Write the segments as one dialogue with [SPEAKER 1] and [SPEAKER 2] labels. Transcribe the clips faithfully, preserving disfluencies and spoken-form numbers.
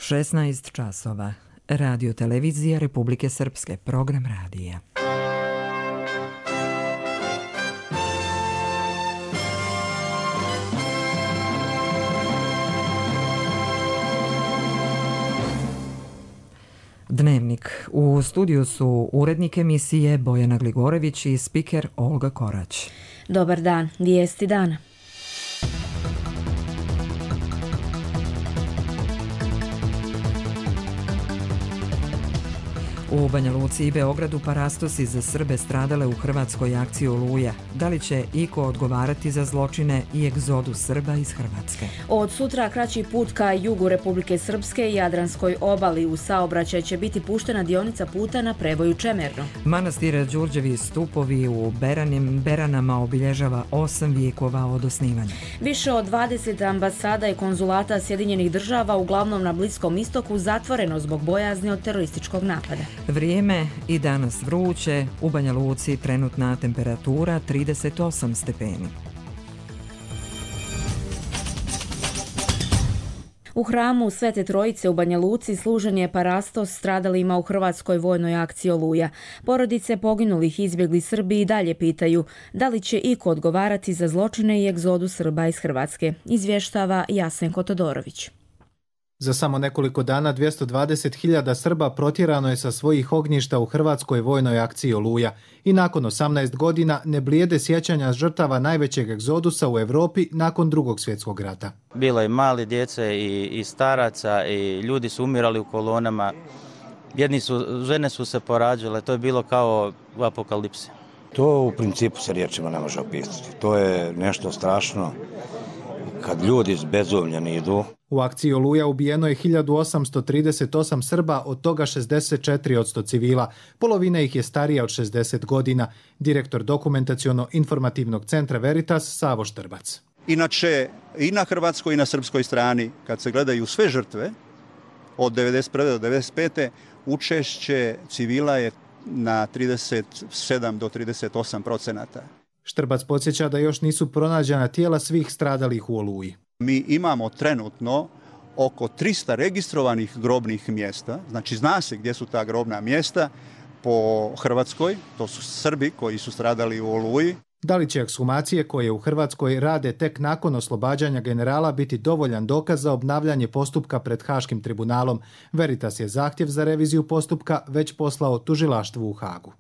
[SPEAKER 1] šesnaest časova. Radio televizija Republike Srpske, program radija. Dnevnik. U studiju su urednik emisije Bojana Gligorević i spiker Olga Korać.
[SPEAKER 2] Dobar dan, vijesti dana.
[SPEAKER 1] U Banja Luci i Beogradu parastosi za Srbe stradale u hrvatskoj akciji Oluja. Da li će iko odgovarati za zločine i egzodu Srba iz Hrvatske?
[SPEAKER 2] Od sutra kraći put ka jugu Republike Srpske i Jadranskoj obali. U saobraćaj će biti puštena dionica puta na prevoju Čemerno.
[SPEAKER 1] Manastir Đurđevi stupovi u Beranim, Beranama obilježava osam vijekova od osnivanja.
[SPEAKER 2] Više od dvadeset ambasada i konzulata Sjedinjenih država, uglavnom na Bliskom istoku, zatvoreno zbog bojazni od terorističkog napada.
[SPEAKER 1] Vrijeme i danas vruće, u Banja Luci trenutna temperatura trideset osam stepeni.
[SPEAKER 2] U hramu Svete Trojice u Banja Luci služen je parastos stradalima u hrvatskoj vojnoj akciji Oluja. Porodice poginulih izbjegli Srbi i dalje pitaju da li će iko odgovarati za zločine i egzodu Srba iz Hrvatske, izvještava Jasenko Todorović.
[SPEAKER 3] Za samo nekoliko dana dvjesto dvadeset hiljada Srba protjerano je sa svojih ognjišta u hrvatskoj vojnoj akciji Oluja i nakon osamnaest godina ne blijede sjećanja žrtava najvećeg egzodusa u Europi nakon Drugog svjetskog rata.
[SPEAKER 4] Bilo je mali djece i, i staraca i ljudi su umirali u kolonama. Jedni su, žene su se porađale, to je bilo kao u apokalipsi.
[SPEAKER 5] To u principu se riječima ne može opisati. To je nešto strašno kad ljudi bezumljeni idu.
[SPEAKER 3] U akciji Oluja ubijeno je hiljadu osamsto trideset osam Srba, od toga šezdeset četiri posto civila. Polovina ih je starija od šezdeset godina. Direktor dokumentaciono-informativnog centra Veritas Savo Štrbac.
[SPEAKER 6] Inače, i na hrvatskoj i na srpskoj strani, kad se gledaju sve žrtve, od devedeset prve do devedeset pete učešće civila je na trideset sedam do trideset osam procenata.
[SPEAKER 3] Štrbac podsjeća da još nisu pronađena tijela svih stradalih u Oluji.
[SPEAKER 6] Mi imamo trenutno oko trista registrovanih grobnih mjesta, znači zna se gdje su ta grobna mjesta po Hrvatskoj, to su Srbi koji su stradali u Oluji.
[SPEAKER 3] Da li će ekshumacije koje u Hrvatskoj rade tek nakon oslobađanja generala biti dovoljan dokaz za obnavljanje postupka pred Haškim tribunalom? Veritas je zahtjev za reviziju postupka već poslao tužilaštvu u Hagu.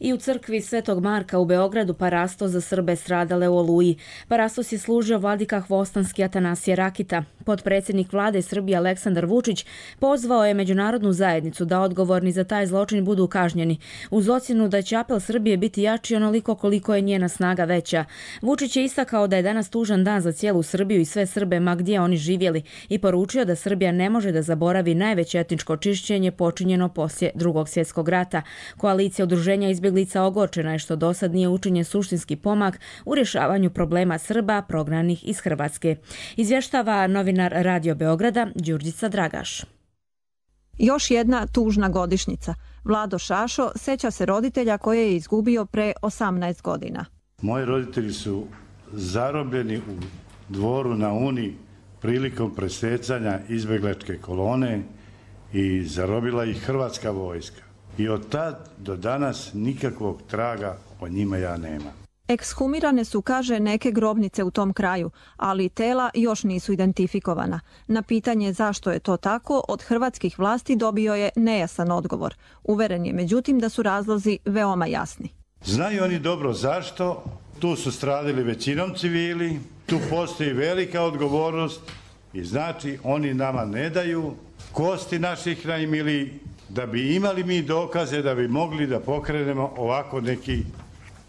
[SPEAKER 2] I u crkvi Svetog Marka u Beogradu parastos za Srbe stradale u Oluji. Parastos je služio vladika Hvostanski Atanasije Rakita. Potpredsjednik vlade Srbije Aleksandar Vučić pozvao je međunarodnu zajednicu da odgovorni za taj zločin budu kažnjeni, uz ocjenu da će apel Srbije biti jači onoliko koliko je njena snaga veća. Vučić je istakao da je danas tužan dan za cijelu Srbiju i sve Srbe ma gdje oni živjeli i poručio da Srbija ne može da zaboravi najveće etničko čišćenje počinjeno poslije Drugog svjetskog rata. Koalicija udruženja izbjeglica ogorčena je što dosad nije učinjen suštinski pomak u rješavanju problema Srba prognanih iz Hrvatske. Izvještava novinar Radio Beograda Đurđica Dragaš.
[SPEAKER 7] Još jedna tužna godišnjica. Vlado Šašo seća se roditelja koje je izgubio pre osamnaest godina.
[SPEAKER 8] Moji roditelji su zarobljeni u Dvoru na Uni prilikom presecanja izbjegličke kolone i zarobila ih hrvatska vojska. I od tad do danas nikakvog traga o njima ja nema.
[SPEAKER 7] Ekshumirane su, kaže, neke grobnice u tom kraju, ali tela još nisu identifikovana. Na pitanje zašto je to tako, od hrvatskih vlasti dobio je nejasan odgovor. Uveren je, međutim, da su razlozi veoma jasni.
[SPEAKER 8] Znaju oni dobro zašto, tu su stradili većinom civili, tu postoji velika odgovornost i znači oni nama ne daju kosti naših najmilijih, da bi imali mi dokaze da bi mogli da pokrenemo ovako neki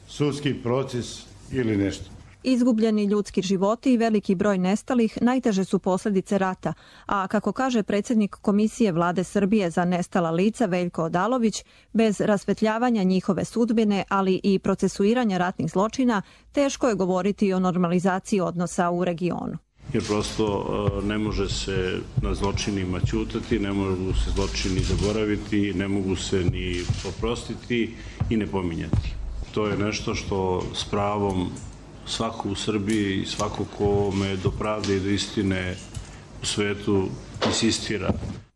[SPEAKER 8] sudski proces ili nešto.
[SPEAKER 7] Izgubljeni ljudski životi i veliki broj nestalih najteže su posljedice rata, a kako kaže predsjednik Komisije Vlade Srbije za nestala lica Veljko Odalović, bez rasvetljavanja njihove sudbine, ali i procesuiranja ratnih zločina, teško je govoriti o normalizaciji odnosa u regionu.
[SPEAKER 9] Jer prosto ne može se na zločinima ćutati, ne mogu se zločini zaboraviti, ne mogu se ni oprostiti i ne pominjati. To je nešto što s pravom svako u Srbiji i svako kome do pravde i do istine u svetu insistira.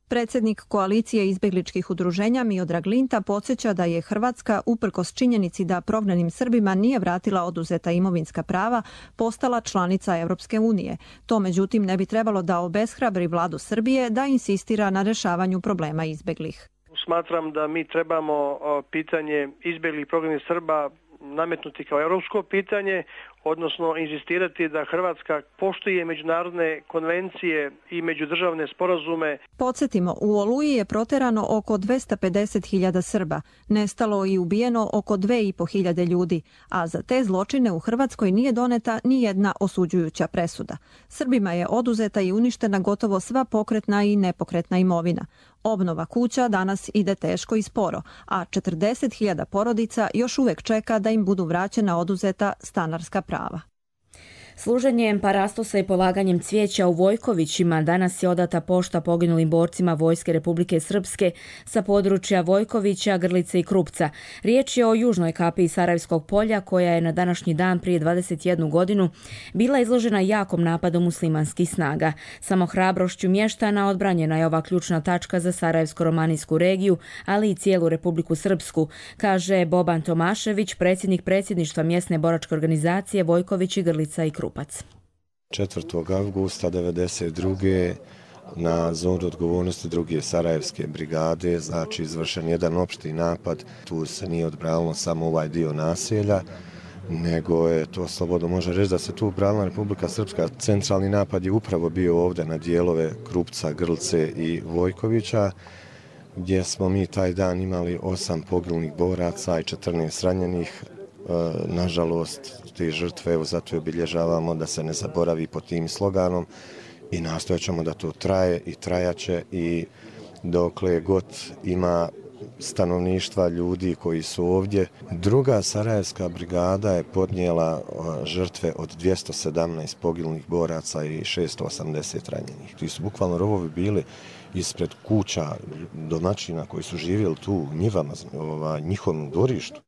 [SPEAKER 7] Predsjednik koalicije izbjegličkih udruženja Miodrag Linta podsjeća da je Hrvatska, uprkos činjenici da prognanim Srbima nije vratila oduzeta imovinska prava, postala članica Europske unije. To međutim ne bi trebalo da obeshrabri vladu Srbije da insistira na rješavanju problema izbjeglih.
[SPEAKER 10] Smatram da mi trebamo pitanje izbjeglih prognanih Srba nametnuti kao europsko pitanje, odnosno inzistirati da Hrvatska poštuje međunarodne konvencije i međudržavne sporazume.
[SPEAKER 7] Podsjetimo, u Oluji je proterano oko dvesta pedeset hiljada Srba, nestalo i ubijeno oko dve i po hiljade ljudi, a za te zločine u Hrvatskoj nije doneta ni jedna osuđujuća presuda. Srbima je oduzeta i uništena gotovo sva pokretna i nepokretna imovina. Obnova kuća danas ide teško i sporo, a četrdeset hiljada porodica još uvijek čeka da im budu vraćena oduzeta stanarska prava.
[SPEAKER 2] Služenjem parastosa i polaganjem cvijeća u Vojkovićima danas je odata pošta poginulim borcima Vojske Republike Srpske sa područja Vojkovića, Grlice i Krupca. Riječ je o južnoj kapiji Sarajevskog polja koja je na današnji dan prije dvadeset jednu godinu bila izložena jakom napadu muslimanskih snaga. Samo hrabrošću mještana odbranjena je ova ključna tačka za Sarajevsko-romanijsku regiju, ali i cijelu Republiku Srpsku, kaže Boban Tomašević, predsjednik predsjedništva mjesne boračke organizacije Vojkovići, Grlica i Krupac.
[SPEAKER 11] četvrtog avgusta devedeset druge na zonu odgovornosti druge Sarajevske brigade, znači izvršen jedan opšti napad. Tu se nije odbranilo samo ovaj dio naselja, nego je to slobodno može reći da se tu branila Republika Srpska. Centralni napad je upravo bio ovdje na dijelove Krupca, Grlce i Vojkovića, gdje smo mi taj dan imali osam poginulih boraca i četrnaest ranjenih. Nažalost, te žrtve, evo zato je obilježavamo da se ne zaboravi pod tim sloganom i nastojat ćemo da to traje i trajaće i dokle god ima stanovništva, ljudi koji su ovdje. Druga Sarajevska brigada je podnijela žrtve od dvjesto sedamnaest poginulih boraca i šesto osamdeset ranjenih. Ti su bukvalno rovovi bili ispred kuća domaćina koji su živjeli tu u njivama, njihovom dvorištu.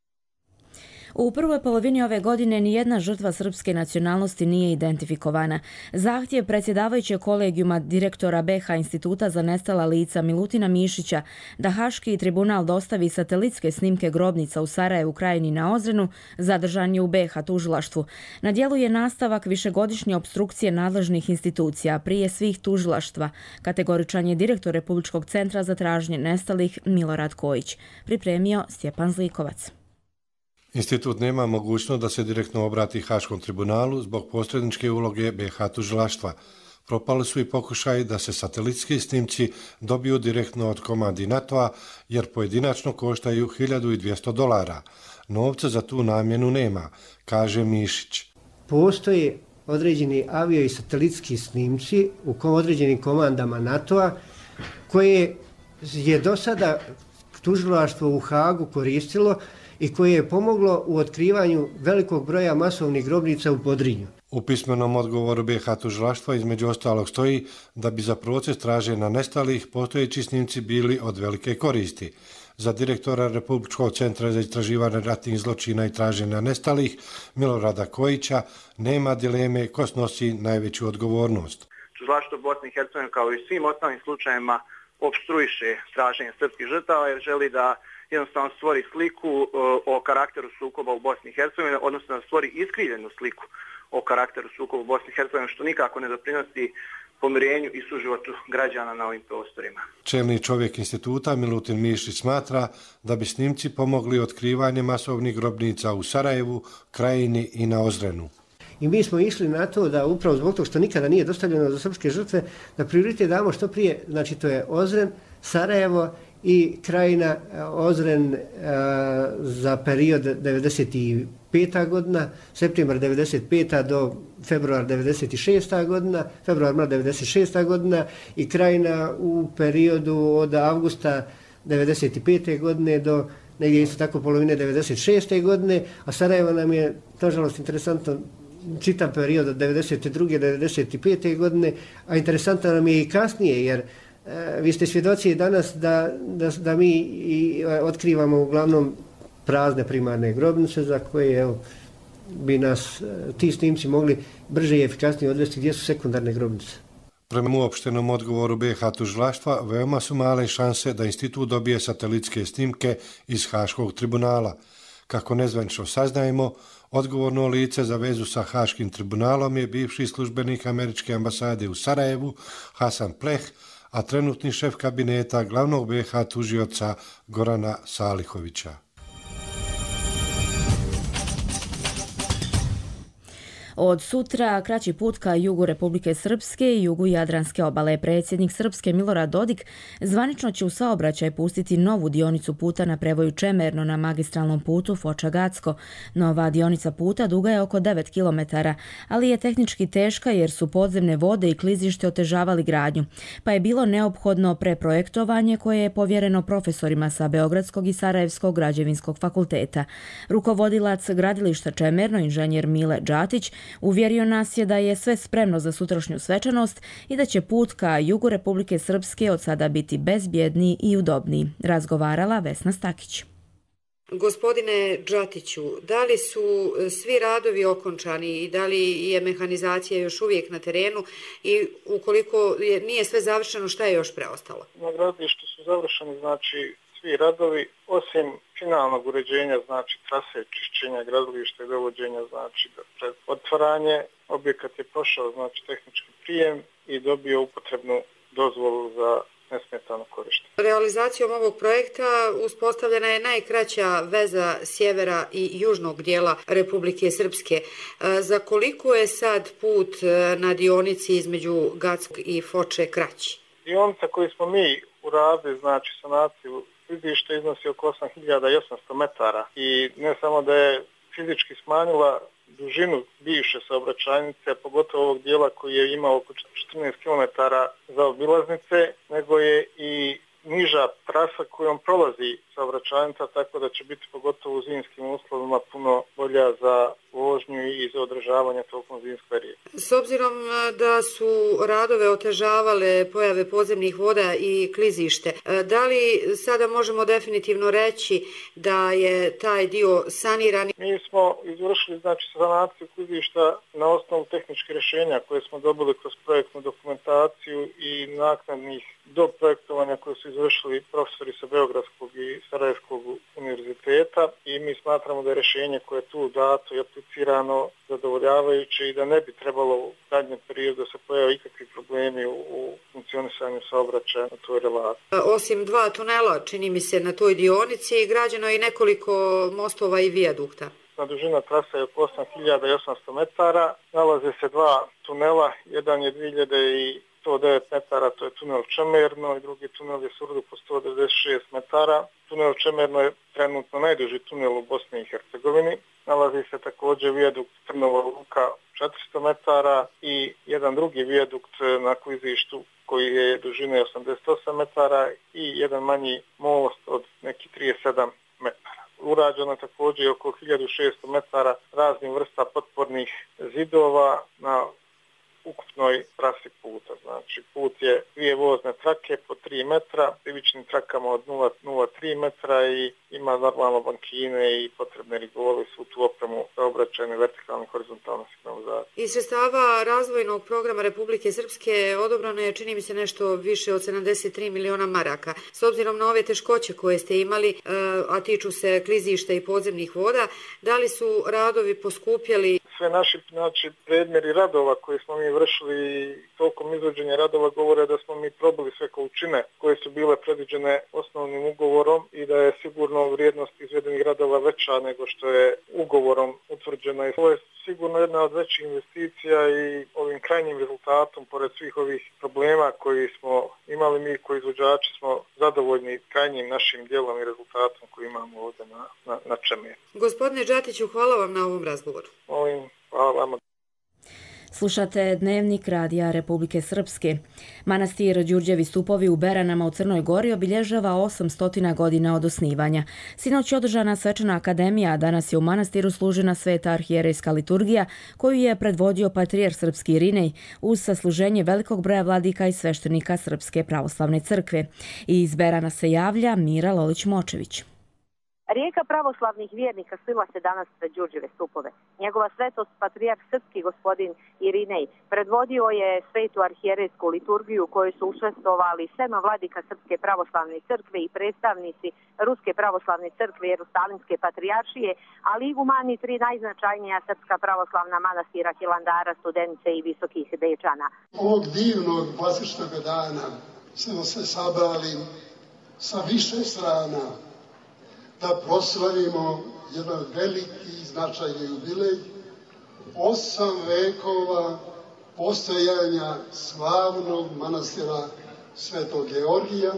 [SPEAKER 2] U prvoj polovini ove godine nijedna žrtva srpske nacionalnosti nije identifikovana. Zahtjev predsjedavajućeg kolegijuma direktora B iH Instituta za nestala lica Milutina Mišića da Haški tribunal dostavi satelitske snimke grobnica u Sarajevu, Krajini na Ozrenu zadržan je u B iH tužilaštvu. Na djelu je nastavak višegodišnje opstrukcije nadležnih institucija prije svih tužilaštva. Kategoričan je direktor Republičkog centra za traženje nestalih Milorad Kojić. Pripremio Stjepan Zlikovac.
[SPEAKER 12] Institut nema mogućnost da se direktno obrati Haškom tribunalu zbog posredničke uloge B iH tužilaštva. Propali su i pokušaj da se satelitski snimci dobiju direktno od komandi NATO-a jer pojedinačno koštaju hiljadu dvjesto dolara. Novca za tu namjenu nema, kaže Mišić.
[SPEAKER 13] Postoje određeni avio i satelitski snimci u određenim komandama NATO-a koje je do sada tužilaštvo u Hagu koristilo i koje je pomoglo u otkrivanju velikog broja masovnih grobnica u Podrinju.
[SPEAKER 12] U pismenom odgovoru B iH tužilaštva između ostalog stoji da bi za proces traženja nestalih postojeći snimci bili od velike koristi. Za direktora Republičkog centra za istraživanje ratnih zločina i traženja nestalih Milorada Kojića nema dileme ko snosi najveću odgovornost.
[SPEAKER 14] Tužilaštvo Bosne i Hercegovine kao i svim ostalim slučajevima opstruiše traženje srpskih žrtava jer želi da jednostavno stvori sliku o karakteru sukoba u Bosni i Hercegovini, odnosno da stvori iskrivljenu sliku o karakteru sukoba u Bosni i Hercegovini, što nikako ne doprinosi pomirenju i suživotu građana na ovim prostorima.
[SPEAKER 12] Čelni čovjek instituta Milutin Mišić smatra da bi snimci pomogli otkrivanje masovnih grobnica u Sarajevu, Krajini i na Ozrenu.
[SPEAKER 13] I mi smo išli na to da upravo zbog toga što nikada nije dostavljeno za srpske žrtve, da prioritet damo što prije, znači to je Ozren, Sarajevo i Krajina, Ozren a, za period devedeset peta godina, septembar devedeset peta do februar devedeset šesta godina, februar mart devedeset šesta godina i Krajina u periodu od avgusta devedeset pete godine do negdje isto tako polovine devedeset šeste godine, a Sarajevo nam je, nažalost, interesantno čitav period od devedeset druge do devedeset pete godine, a interesantno nam je i kasnije, jer e, vi ste svjedoci danas da, da, da mi i otkrivamo uglavnom prazne primarne grobnice za koje evo, bi nas ti snimci mogli brže i efikasnije odvesti gdje su sekundarne grobnice.
[SPEAKER 12] Prema uopštenom odgovoru B H tužilaštva, veoma su male šanse da institut dobije satelitske snimke iz Haškog tribunala. Kako nezvanično saznajemo, odgovorno lice za vezu sa Haškim tribunalom je bivši službenik američke ambasade u Sarajevu, Hasan Pleh, a trenutni šef kabineta glavnog B H tužioca Gorana Salihovića.
[SPEAKER 2] Od sutra kraći put ka jugu Republike Srpske i jugu Jadranske obale. Predsjednik Srpske Milorad Dodik zvanično će u saobraćaj pustiti novu dionicu puta na prevoju Čemerno na magistralnom putu Foča-Gacko. Nova dionica puta duga je oko devet kilometara, ali je tehnički teška jer su podzemne vode i klizište otežavali gradnju, pa je bilo neophodno preprojektovanje koje je povjereno profesorima sa Beogradskog i Sarajevskog građevinskog fakulteta. Rukovodilac gradilišta Čemerno, inženjer Mile Đatić, uvjerio nas je da je sve spremno za sutrašnju svečanost i da će put ka jugu Republike Srpske od sada biti bezbjedniji i udobniji. Razgovarala Vesna Stakić.
[SPEAKER 15] Gospodine Đatiću, da li su svi radovi okončani i da li je mehanizacija još uvijek na terenu i ukoliko je, nije sve završeno, šta je još preostalo?
[SPEAKER 16] Na gradilištu su završeni znači svi radovi, osim finalnog uređenja, znači trase čišćenja gradilišta i dovođenja, znači pred otvaranje. Objekat je prošao znači tehnički prijem i dobio upotrebnu dozvolu za nesmetano korištenje.
[SPEAKER 15] Realizacijom ovog projekta uspostavljena je najkraća veza sjevera i južnog dijela Republike Srpske. Za koliko je sad put na dionici između Gackog i Foče kraći?
[SPEAKER 16] Dionica koju smo mi uradili, znači sanaciju klizišta, iznosi oko osam hiljada osamsto metara i ne samo da je fizički smanjila dužinu bivše saobraćajnice, pogotovo ovog dijela koji je imao oko četrnaest kilometara za obilaznice, nego je i niža trasa kojom prolazi saobraćajnica, tako da će biti pogotovo u zimskim uslovima puno bolja za vožnju i za održavanje tokom zimskog perioda.
[SPEAKER 15] S obzirom da su radove otežavale pojave podzemnih voda i klizište, da li sada možemo definitivno reći da je taj dio saniran?
[SPEAKER 16] Mi smo izvršili znači sanaciju klizišta na osnovu tehničkih rješenja koje smo dobili kroz projektnu dokumentaciju i naknadnih do projektovanja koje su izvršili profesori sa Beogradskog i Sarajevskog univerziteta i mi smatramo da je rješenje koje je tu dato i aplicirano zadovoljavajuće i da ne bi trebalo u zadnjem periodu da se pojave ikakvi problemi u, u funkcionisanju saobraćaja na toj relaciji.
[SPEAKER 15] Osim dva tunela, čini mi se, na toj dionici, građeno je i nekoliko mostova i vijadukta.
[SPEAKER 16] Na dužina trasa je oko osam hiljada osamsto metara, nalaze se dva tunela, jedan je dvije hiljade sto devet metara, to je tunel Čemerno i drugi tunel je Surdu po sto devedeset šest metara. Tunel Čemerno je trenutno najduži tunel u Bosni i Hercegovini. Nalazi se također vijadukt Trnova Luka četiristo metara i jedan drugi vijadukt na klizištu koji je dužine osamdeset osam metara i jedan manji most od nekih trideset sedam metara. Urađeno je također oko hiljadu šesto metara raznih vrsta potpornih zidova na ukupnoj trasi puta. Znači put je dvije vozne trake po tri metra, ivičnim trakama od nula zarez tri metra i ima normalno bankine i potrebne rigole, svu tu opremu za obraćanje vertikalne i horizontalne signalizacije.
[SPEAKER 15] Iz sredstava razvojnog programa Republike Srpske odobrano je, čini mi se, nešto više od sedamdeset tri miliona maraka. S obzirom na ove teškoće koje ste imali, a tiču se klizišta i podzemnih voda, da li su radovi poskupjeli?
[SPEAKER 16] Sve naši znači, predmjeri radova koje smo mi vršili tokom izvođenja radova govore da smo mi probili sve količine koje su bile predviđene osnovnim ugovorom i da je sigurno vrijednost izvedenih radova veća nego što je ugovorom utvrđena. I ovo je sigurno jedna od većih investicija i ovim krajnjim rezultatom, pored svih ovih problema koji smo imali mi koji izvođači, smo zadovoljni krajnjim našim dijelom i rezultatom koji imamo ovdje na, na, na Čemernu.
[SPEAKER 15] Gospodine Đatiću, hvala vam na ovom razgovoru.
[SPEAKER 16] Molim, hvala vama.
[SPEAKER 2] Slušate Dnevnik Radija Republike Srpske. Manastir Đurđevi stupovi u Beranama u Crnoj Gori obilježava osamsto godina od osnivanja. Sinoć je održana svečana akademija, a danas je u manastiru služena sveta arhijerejska liturgija koju je predvodio patrijar srpski Irinej uz sasluženje velikog broja vladika i sveštenika Srpske pravoslavne crkve. I iz Berana se javlja Mira Lolić-Močević.
[SPEAKER 17] Rijeka pravoslavnih vjernika slila se danas pred Đurđeve stupove. Njegova svetost, patrijarh srpski gospodin Irinej, predvodio je svetu arhijerejsku liturgiju koju su učestvovali sedam vladika Srpske pravoslavne crkve i predstavnici Ruske pravoslavne crkve Jerusalimske patrijaršije, ali i igumani tri najznačajnija srpska pravoslavna manastira Hilandara, Studenice i Visokih Dečana.
[SPEAKER 18] Ovog divnog bazičnog dana smo se sabrali sa više strana da proslavimo jedan veliki i značajni jubilej, osam vekova postojanja slavnog manastira Svetog Georgija.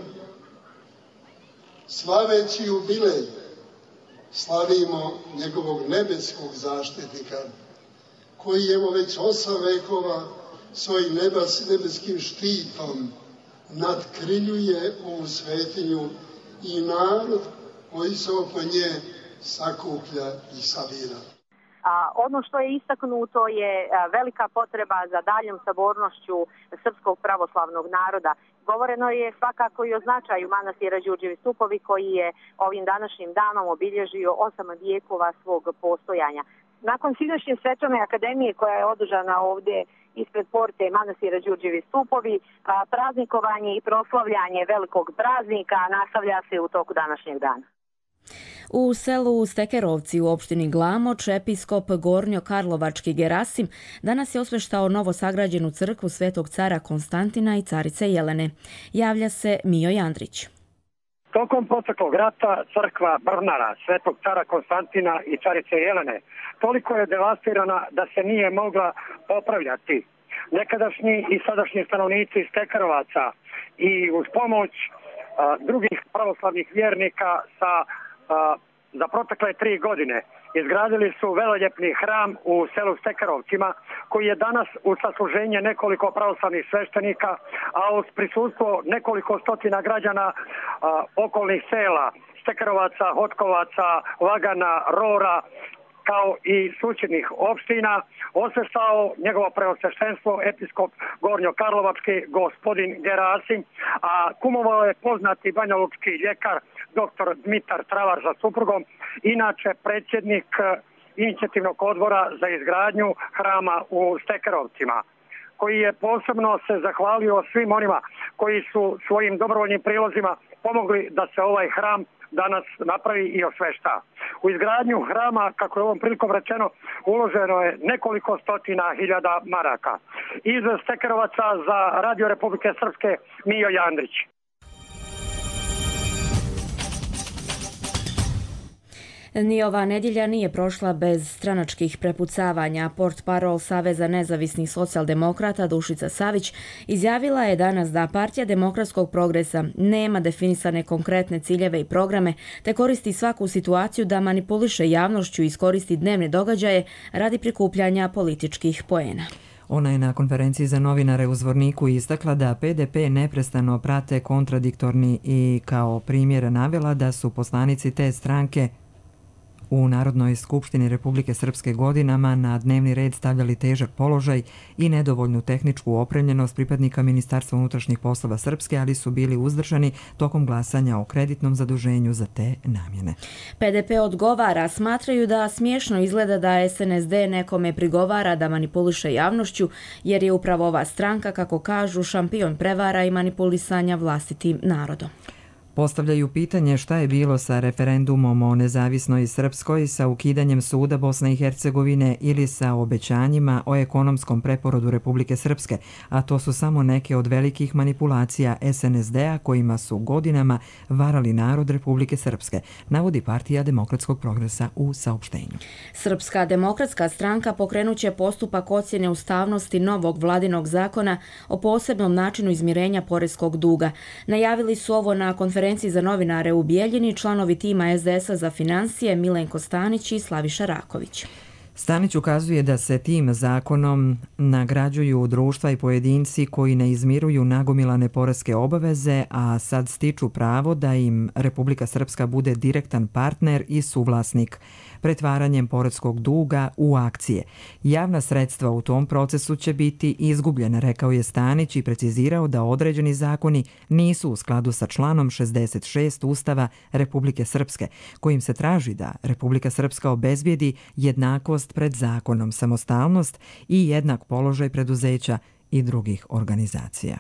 [SPEAKER 18] Slaveći jubilej slavimo njegovog nebeskog zaštitnika, koji evo već osam vekova svojim nebeskim štitom nadkriljuje ovu svetinju i narod koji se oko nje sakuplja i sabira.
[SPEAKER 17] A, ono što je istaknuto je a, velika potreba za daljom sabornošću srpskog pravoslavnog naroda. Govoreno je svakako i o značaju manastira Đurđevi stupovi koji je ovim današnjim danom obilježio osam vijekova svog postojanja. Nakon sinoćnje svečane akademije koja je održana ovdje ispred porte manastira Đurđevi stupovi, a, praznikovanje i proslavljanje velikog praznika nastavlja se u toku današnjeg dana.
[SPEAKER 2] U selu Stekerovci u opštini Glamoč episkop Gornjo-Karlovački Gerasim danas je osveštao novo sagrađenu crkvu Svetog cara Konstantina i carice Jelene. Javlja se Mijo Jandrić.
[SPEAKER 19] Tokom proteklog rata crkva Brnara Svetog cara Konstantina i carice Jelene toliko je devastirana da se nije mogla popravljati. Nekadašnji i sadašnji stanovnici Stekerovaca i uz pomoć a, drugih pravoslavnih vjernika sa a, za protekle tri godine izgradili su veloljepni hram u selu Stekerovcima, koji je danas u sasluženje nekoliko pravoslavnih sveštenika, a uz prisustvo nekoliko stotina građana a, okolnih sela Stekerovaca, Hotkovaca, Lagana, Rora, kao i susjednih opština, osveštao njegovo preosveštenstvo episkop Gornjo-Karlovački gospodin Gerasim, a kumovao je poznati banjalučki ljekar doktor Dmitar Travar sa suprugom, inače predsjednik inicijativnog odbora za izgradnju hrama u Stekerovcima, koji je posebno se zahvalio svim onima koji su svojim dobrovoljnim prilozima pomogli da se ovaj hram danas napravi i osvešta. U izgradnju hrama, kako je ovom prilikom rečeno, uloženo je nekoliko stotina hiljada maraka. Iz Stekerovaca za Radio Republike Srpske, Mijo Jandrić.
[SPEAKER 2] Ni ova nedjelja nije prošla bez stranačkih prepucavanja. Portparol Saveza nezavisnih socijaldemokrata Dušica Savić izjavila je danas da Partija demokratskog progresa nema definisane konkretne ciljeve i programe, te koristi svaku situaciju da manipuliše javnošću i iskoristi dnevne događaje radi prikupljanja političkih poena.
[SPEAKER 1] Ona je na konferenciji za novinare u Zvorniku istakla da P D P neprestano prate kontradiktorni i kao primjer navela da su poslanici te stranke u Narodnoj skupštini Republike Srpske godinama na dnevni red stavljali težak položaj i nedovoljnu tehničku opremljenost pripadnika Ministarstva unutrašnjih poslova Srpske, ali su bili uzdržani tokom glasanja o kreditnom zaduženju za te namjene.
[SPEAKER 2] P D P odgovara, smatraju da smiješno izgleda da S N S D nekome prigovara da manipuliše javnošću, jer je upravo ova stranka, kako kažu, šampion prevara i manipulisanja vlastitim narodom.
[SPEAKER 1] Postavljaju pitanje šta je bilo sa referendumom o nezavisnoj Srpskoj, sa ukidanjem suda Bosne i Hercegovine ili sa obećanjima o ekonomskom preporodu Republike Srpske, a to su samo neke od velikih manipulacija S N S D-a kojima su godinama varali narod Republike Srpske, navodi Partija demokratskog progresa u saopštenju.
[SPEAKER 2] Srpska demokratska stranka pokrenuće postupak ocjene ustavnosti novog vladinog zakona o posebnom načinu izmirenja poreskog duga. Najavili su ovo na konferenciji za novinare u Bijeljini članovi tima S D S-a za financije Milenko Stanić i Slaviša Raković.
[SPEAKER 1] Stanić ukazuje da se tim zakonom nagrađuju društva i pojedinci koji ne izmiruju nagomilane poreske obaveze, a sad stiču pravo da im Republika Srpska bude direktan partner i suvlasnik. pretvaranjem poreskog duga u akcije. Javna sredstva u tom procesu će biti izgubljena, rekao je Stanić i precizirao da određeni zakoni nisu u skladu sa članom šezdeset šest Ustava Republike Srpske, kojim se traži da Republika Srpska obezbijedi jednakost pred zakonom, samostalnost i jednak položaj preduzeća i drugih organizacija.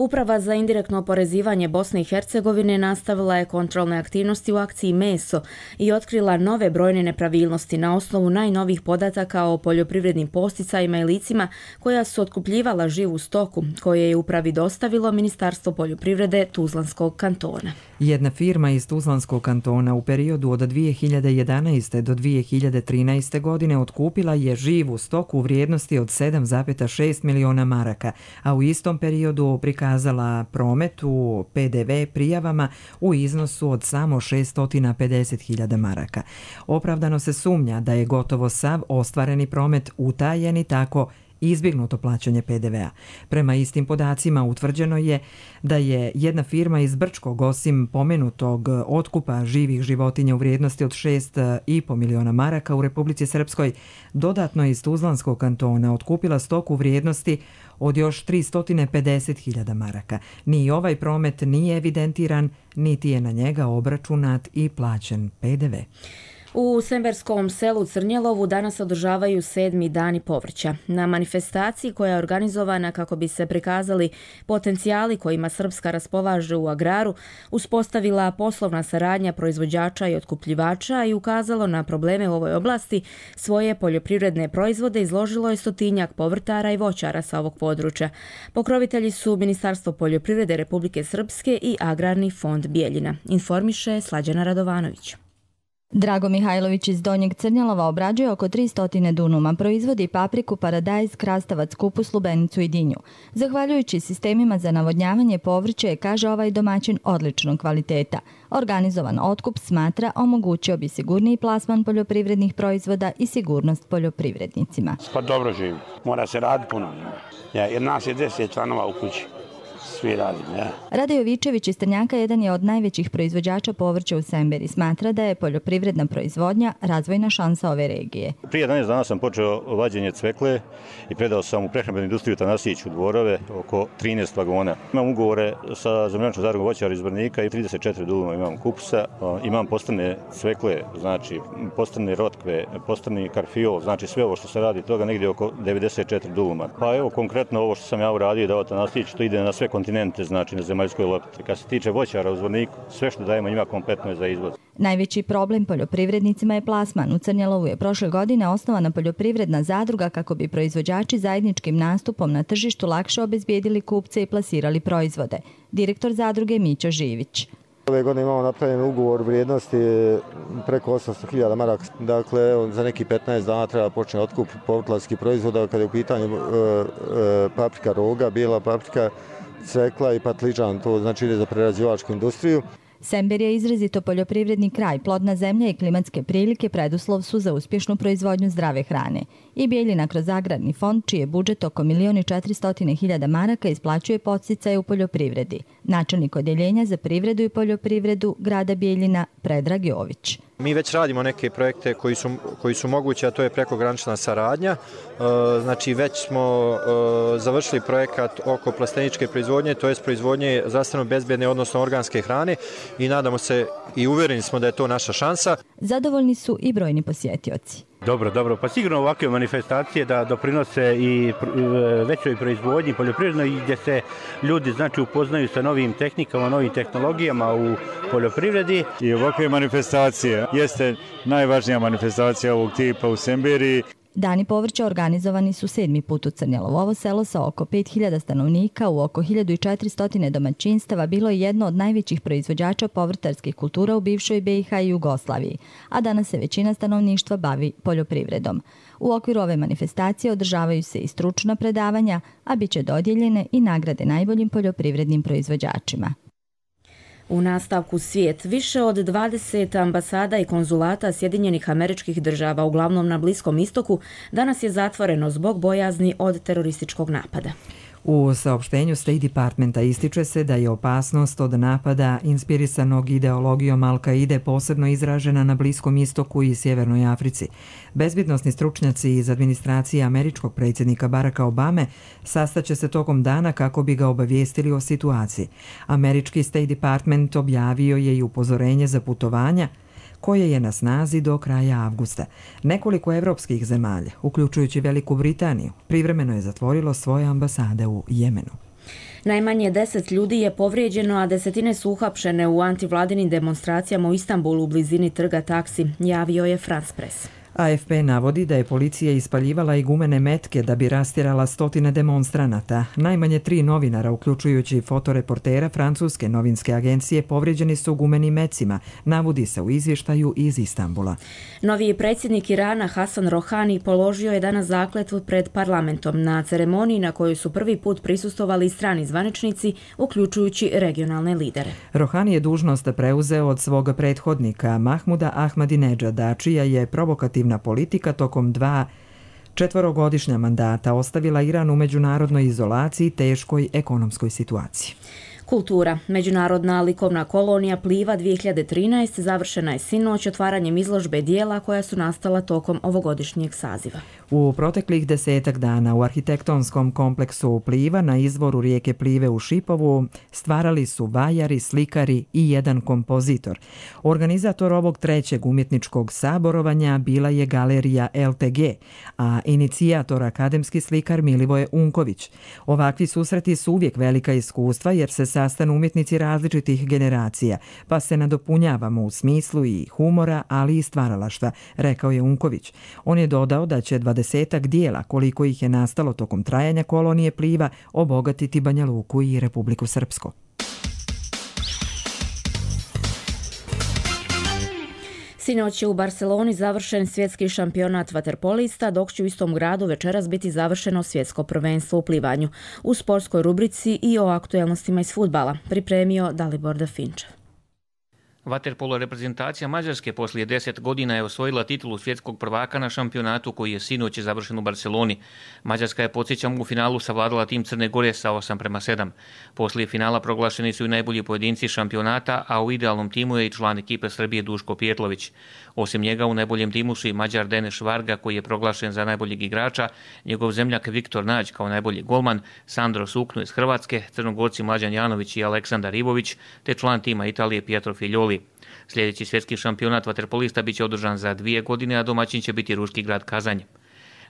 [SPEAKER 2] Uprava za indirektno oporezivanje Bosne i Hercegovine nastavila je kontrolne aktivnosti u akciji Meso i otkrila nove brojne nepravilnosti na osnovu najnovih podataka o poljoprivrednim posticajima i licima koja su otkupljivala živu stoku, koje je upravi dostavilo Ministarstvo poljoprivrede Tuzlanskog kantona.
[SPEAKER 1] Jedna firma iz Tuzlanskog kantona u periodu od dvije hiljade jedanaeste. do dvije hiljade trinaeste. godine otkupila je živu stoku u vrijednosti od sedam zarez šest miliona maraka, a u istom periodu prikazala promet u P D V prijavama u iznosu od samo šessto pedeset hiljada maraka. Opravdano se sumnja da je gotovo sav ostvareni promet utajen i tako izbjegnuto plaćanje P D V-a. Prema istim podacima utvrđeno je da je jedna firma iz Brčkog, osim pomenutog otkupa živih životinja u vrijednosti od šest i po miliona maraka u Republici Srpskoj, dodatno iz Tuzlanskog kantona otkupila stoku u vrijednosti od još tristo pedeset hiljada maraka. Ni ovaj promet nije evidentiran, niti je na njega obračunat i plaćen P D V.
[SPEAKER 2] U Semberskom selu Crnjelovu danas održavaju sedmi dani povrća. Na manifestaciji koja je organizovana kako bi se prikazali potencijali kojima Srpska raspolaže u agraru, uspostavila poslovna saradnja proizvođača i otkupljivača i ukazalo na probleme u ovoj oblasti, svoje poljoprivredne proizvode izložilo je stotinjak povrtara i voćara sa ovog područja. Pokrovitelji su Ministarstvo poljoprivrede Republike Srpske i Agrarni fond Bijeljina, informiše Slađana Radovanović.
[SPEAKER 20] Drago Mihajlović iz Donjeg Crnjelova obrađuje oko tristo dunuma, proizvodi papriku, paradajz, krastavac, kupus, lubenicu i dinju. Zahvaljujući sistemima za navodnjavanje povrće, kaže ovaj domaćin, odličnog kvaliteta. Organizovan otkup, smatra, omogućio bi sigurniji plasman poljoprivrednih proizvoda i sigurnost poljoprivrednicima.
[SPEAKER 21] Pa dobro živi, mora se raditi puno. Ja, jer nas je deset članova u kući. Svi radimo, ja.
[SPEAKER 20] Rade Jovičević iz Trnjaka jedan je od najvećih proizvođača povrća u Semberi. Smatra da je poljoprivredna proizvodnja razvojna šansa ove regije.
[SPEAKER 22] Prije jedanaest dana sam počeo vađenje cvekle i predao sam u prehrambenu industriju Tanasić u Dvorove oko trinaest vagona. Imam ugovore sa zemljančnom zadrugom voćara iz Brnika i trideset četiri duluma imam kupusa. Imam postrne cvekle, znači postrne rotkve, postrni karfiol, znači sve ovo što se radi toga negdje oko devedeset četiri duluma. Pa evo konkretno ovo što sam ja uradio dao Tanasić, to ide na sve kontinente, znači na zemaljskoj lopti. Kad se tiče voćara u Zvorniku, sve što dajemo njima kompletno je za izvoz.
[SPEAKER 20] Najveći problem poljoprivrednicima je plasman. U Crnjelovu je prošle godine osnovana poljoprivredna zadruga kako bi proizvođači zajedničkim nastupom na tržištu lakše obezbijedili kupce i plasirali proizvode. Direktor zadruge Mićo Živić.
[SPEAKER 23] Ove godine imamo napravljen ugovor vrijednosti preko osamsto hiljada maraka. Dakle, za neki petnaest dana treba počne otkup povrtlarskih proizvoda kada je u pitanju e, e, paprika roga, bijela paprika, cvekla i patliđan, to znači ide za prerađivačku industriju.
[SPEAKER 20] Sember je izrazito poljoprivredni kraj, plodna zemlja i klimatske prilike preduslov su za uspješnu proizvodnju zdrave hrane. I Bijeljina kroz Agrarni fond, čiji je budžet oko milion i četiristo hiljada maraka, isplaćuje podsticaje u poljoprivredi. Načelnik odjeljenja za privredu i poljoprivredu grada Bijeljina Predrag Jović.
[SPEAKER 24] Mi već radimo neke projekte koji su, koji su mogući, a to je prekogranična saradnja. Znači već smo završili projekat oko plasteničke proizvodnje, to je proizvodnje zdravstveno bezbjedne, odnosno organske hrane i nadamo se i uvjereni smo da je to naša šansa.
[SPEAKER 20] Zadovoljni su i brojni posjetioci.
[SPEAKER 25] Dobro, dobro. Pa sigurno ovakve manifestacije da doprinose i većoj proizvodnji poljoprivrednoj gdje se ljudi znači upoznaju sa novim tehnikama, novim tehnologijama u poljoprivredi.
[SPEAKER 26] I ovakve manifestacije jeste najvažnija manifestacija ovog tipa u Semberi.
[SPEAKER 20] Dani povrća organizovani su sedmi put u Crnjelovo. Ovo selo sa oko pet hiljada stanovnika u oko hiljadu četiristo domaćinstava bilo je jedno od najvećih proizvođača povrtarskih kultura u bivšoj B i H i Jugoslaviji, a danas se većina stanovništva bavi poljoprivredom. U okviru ove manifestacije održavaju se i stručna predavanja, a bit će dodijeljene i nagrade najboljim poljoprivrednim proizvođačima.
[SPEAKER 2] U nastavku svijet, više od dvadeset ambasada i konzulata Sjedinjenih Američkih Država, uglavnom na Bliskom istoku, danas je zatvoreno zbog bojazni od terorističkog napada.
[SPEAKER 1] U saopštenju State Departmenta ističe se da je opasnost od napada inspirisanog ideologijom Al-Kaide posebno izražena na Bliskom istoku i Sjevernoj Africi. Bezbjednosni stručnjaci iz administracije američkog predsjednika Baracka Obame sastaće se tokom dana kako bi ga obavijestili o situaciji. Američki State Department objavio je i upozorenje za putovanja koje je na snazi do kraja avgusta. Nekoliko evropskih zemalja, uključujući Veliku Britaniju, privremeno je zatvorilo svoje ambasade u Jemenu.
[SPEAKER 2] Najmanje deset ljudi je povrijeđeno, a desetine su uhapšene u antivladinim demonstracijama u Istanbulu u blizini trga Taksi, javio je France Press.
[SPEAKER 1] A F P navodi da je policija ispaljivala i gumene metke da bi rastjerala stotine demonstranata. Najmanje tri novinara, uključujući fotoreportera francuske novinske agencije, povrijeđeni su gumenim mecima, navodi se u izvještaju iz Istanbula.
[SPEAKER 2] Novi predsjednik Irana Hasan Rohani položio je danas zakletvu pred parlamentom na ceremoniji na kojoj su prvi put prisustvovali strani zvaničnici, uključujući regionalne lidere.
[SPEAKER 1] Rohani je dužnost preuzeo od svog prethodnika Mahmuda Ahmadinejada, čija je provokativna politika tokom dva četvorogodišnja mandata ostavila Iran u međunarodnoj izolaciji i teškoj ekonomskoj situaciji.
[SPEAKER 2] Kultura. Međunarodna likovna kolonija Pliva dvije hiljade trinaeste završena je sinoć otvaranjem izložbe dijela koja su nastala tokom ovogodišnjeg saziva.
[SPEAKER 1] U proteklih desetak dana u arhitektonskom kompleksu Pliva na izvoru rijeke Plive u Šipovu stvarali su vajari, slikari i jedan kompozitor. Organizator ovog trećeg umjetničkog saborovanja bila je galerija L T G, a inicijator akademski slikar Milivoje Unković. Ovakvi susreti su uvijek velika iskustva jer se sastanu umjetnici različitih generacija, pa se nadopunjavamo u smislu i humora, ali i stvaralaštva, rekao je Unković. On je dodao da će dvadesetak dijela, koliko ih je nastalo tokom trajanja kolonije Pliva, obogatiti Banja Luku i Republiku Srpsku.
[SPEAKER 2] Sinoć je u Barceloni završen svjetski šampionat vaterpolista, dok će u istom gradu večeras biti završeno svjetsko prvenstvo u plivanju. U sportskoj rubrici i o aktuelnostima iz fudbala pripremio Dalibor Dafinčev.
[SPEAKER 3] Vaterpolo reprezentacija Mađarske poslije deset godina je osvojila titulu svjetskog prvaka na šampionatu koji je sinoć završen u Barceloni. Mađarska je, podsjećam, u finalu savladala tim Crne Gore sa osam prema sedam. Poslije finala proglašeni su i najbolji pojedinci šampionata, a u idealnom timu je i član ekipe Srbije Duško Pijetlović. Osim njega u najboljem timu su i Mađar Deneš Varga koji je proglašen za najboljeg igrača, njegov zemljak Viktor Nađ kao najbolji golman, Sandro Sukno iz Hrvatske, Crnogorci Mlađan Janović i Aleksandar Ivović, te član tima Italije Pietro Figlioli. Sljedeći svjetski šampionat vaterpolista biće održan za dvije godine, a domaćin će biti ruski grad Kazanj.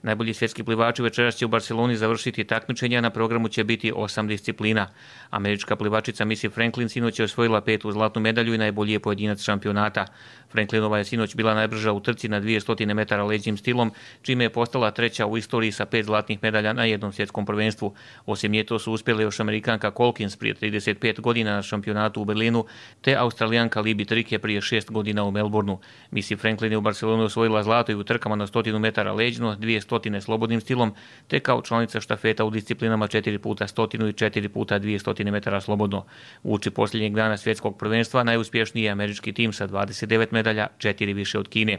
[SPEAKER 3] Najbolji svjetski plivači večeras će u Barceloni završiti takmičenja, na programu će biti osam disciplina. Američka plivačica Missy Franklin sinoć je osvojila petu zlatnu medalju i najbolji je pojedinac šampionata. Franklinova je sinoć bila najbrža u trci na dvjesto metara leđnim stilom, čime je postala treća u istoriji sa pet zlatnih medalja na jednom svjetskom prvenstvu. Osim nje to su uspjele još Amerikanka Colkins prije trideset pet godina na šampionatu u Berlinu, te Australijanka Libby Trike prije šest godina u Melbourneu. Missy Franklin je u Barceloni osvojila zlato i u trkama na stotinu metara leđno, dvjesto slobodnim stilom, te kao članica štafeta u disciplinama četiri puta stotinu i četiri puta dvjesto metara slobodno. Uoči posljednjeg dana svjetskog prvenstva najuspješniji je američki tim sa dvadeset devet medalja, četiri više od Kine.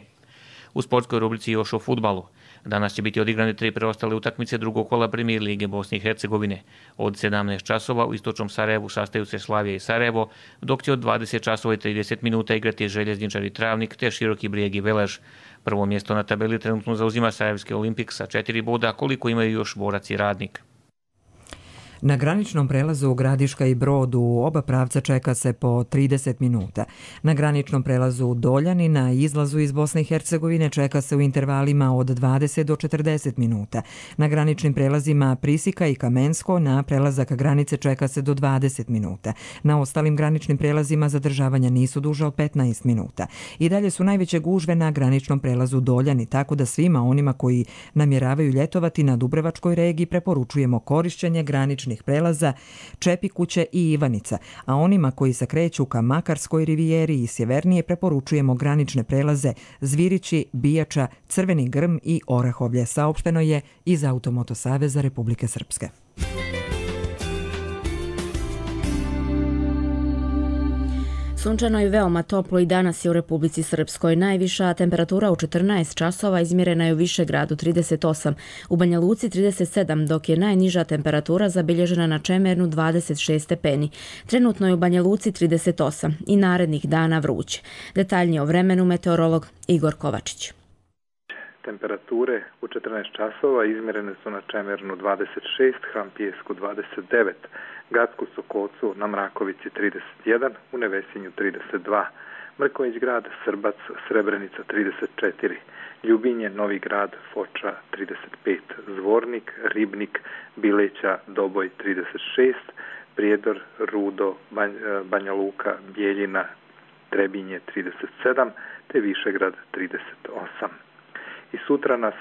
[SPEAKER 3] U sportskoj rubrici još o fudbalu. Danas će biti odigrane tri preostale utakmice drugog kola Premier lige Bosne i Hercegovine. Od sedamnaest časova u istočnom Sarajevu sastaju se Slavija i Sarajevo, dok će od dvadeset časova i trideset minuta igrati Željezničar i Travnik te Široki Brijeg i Velež. Prvo mjesto na tabeli trenutno zauzima Sarajevski Olimpik sa četiri boda, koliko imaju još Borac i Radnik.
[SPEAKER 1] Na graničnom prelazu Gradiška i Brod u oba pravca čeka se po trideset minuta. Na graničnom prelazu Doljani na izlazu iz Bosne i Hercegovine čeka se u intervalima od dvadeset do četrdeset minuta. Na graničnim prelazima Prisika i Kamensko na prelazak granice čeka se do dvadeset minuta. Na ostalim graničnim prelazima zadržavanja nisu duže od petnaest minuta. I dalje su najveće gužve na graničnom prelazu Doljani, tako da svima onima koji namjeravaju ljetovati na Dubrovačkoj regiji preporučujemo korišćenje graničnih prelaza Čepikuće i Ivanica, a onima koji se kreću ka Makarskoj rivijeri i sjevernije preporučujemo granične prelaze Zvirići, Bijača, Crveni Grm i Orahovlje, saopšteno je iz Automoto Saveza Republike Srpske.
[SPEAKER 2] Sunčano i veoma toplo i danas je u Republici Srpskoj. Najviša temperatura u četrnaest časova izmjerena je u Višegradu trideset osam, u Banja Luci trideset sedam, dok je najniža temperatura zabilježena na Čemernu dvadeset šest stepeni. Trenutno je u Banja Luci trideset osam i narednih dana vruće. Detaljnije o vremenu meteorolog Igor Kovačić.
[SPEAKER 4] Temperature u četrnaest časova izmjerene su na Čemernu dvadeset šest, Hrampijesku dvadeset devet, Gacku Sokocu na Mrakovici trideset jedan, u Nevesinju trideset dva, Mrković grad, Srbac, Srebrenica trideset četiri, Ljubinje, Novi grad, Foča trideset pet, Zvornik, Ribnik, Bileća, Doboj trideset šest, Prijedor, Rudo, Banja Luka, Bijeljina, Trebinje trideset sedam, te Višegrad trideset osam. I sutra nas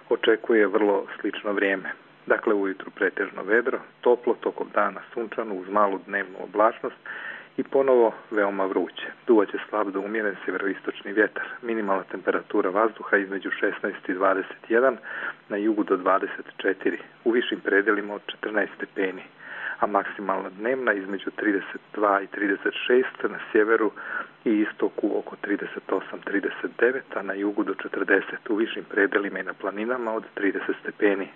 [SPEAKER 4] očekuje vrlo slično vrijeme. Dakle, ujutru pretežno vedro, toplo, tokom dana sunčano uz malu dnevnu oblačnost i ponovo veoma vruće. Duvaće slab do umjeren sjeveroistočni vjetar. Minimalna temperatura vazduha između šesnaest i dvadeset jedan, na jugu do dvadeset četiri, u višim predelima od četrnaest stepeni, a maksimalna dnevna između trideset dva i trideset šest, na sjeveru i istoku oko trideset osam do trideset devet, a na jugu do četrdeset, u višim predelima i na planinama od trideset stepeni.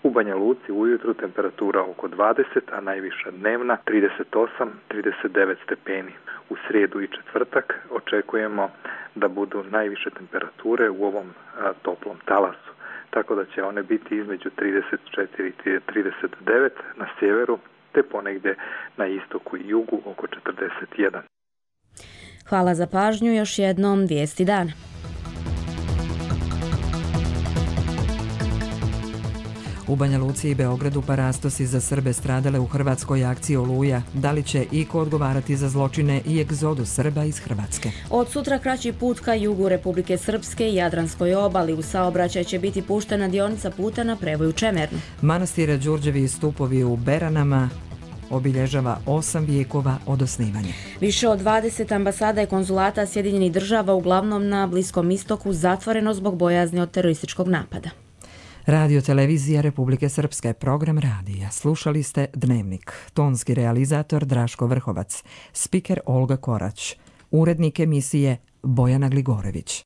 [SPEAKER 4] U Banja Luci ujutru temperatura oko dvadeset, a najviša dnevna trideset osam do trideset devet stepeni. U srijedu i četvrtak očekujemo da budu najviše temperature u ovom a, toplom talasu, tako da će one biti između trideset četiri i trideset devet na sjeveru, te ponegdje na istoku i jugu oko četrdeset jedan.
[SPEAKER 2] Hvala za pažnju, još jednom vijesti dana.
[SPEAKER 1] U Banja Luci i Beogradu parastosi za Srbe stradale u hrvatskoj akciji Oluja. Da li će iko odgovarati za zločine i egzodus Srba iz Hrvatske?
[SPEAKER 2] Od sutra kraći put ka jugu Republike Srpske i Jadranskoj obali. U saobraćaj će biti puštena dionica puta na prevoju Čemernu.
[SPEAKER 1] Manastire Đurđevi i stupovi u Beranama obilježava osam vijekova od osnivanja.
[SPEAKER 2] Više od dvadeset ambasada i konzulata Sjedinjenih država, uglavnom na Bliskom istoku, zatvoreno zbog bojazni od terorističkog napada.
[SPEAKER 1] Radio televizija Republike Srpske, program radija. Slušali ste Dnevnik. Tonski realizator Draško Vrhovac. Spiker Olga Korać. Urednik emisije Bojana Gligorević.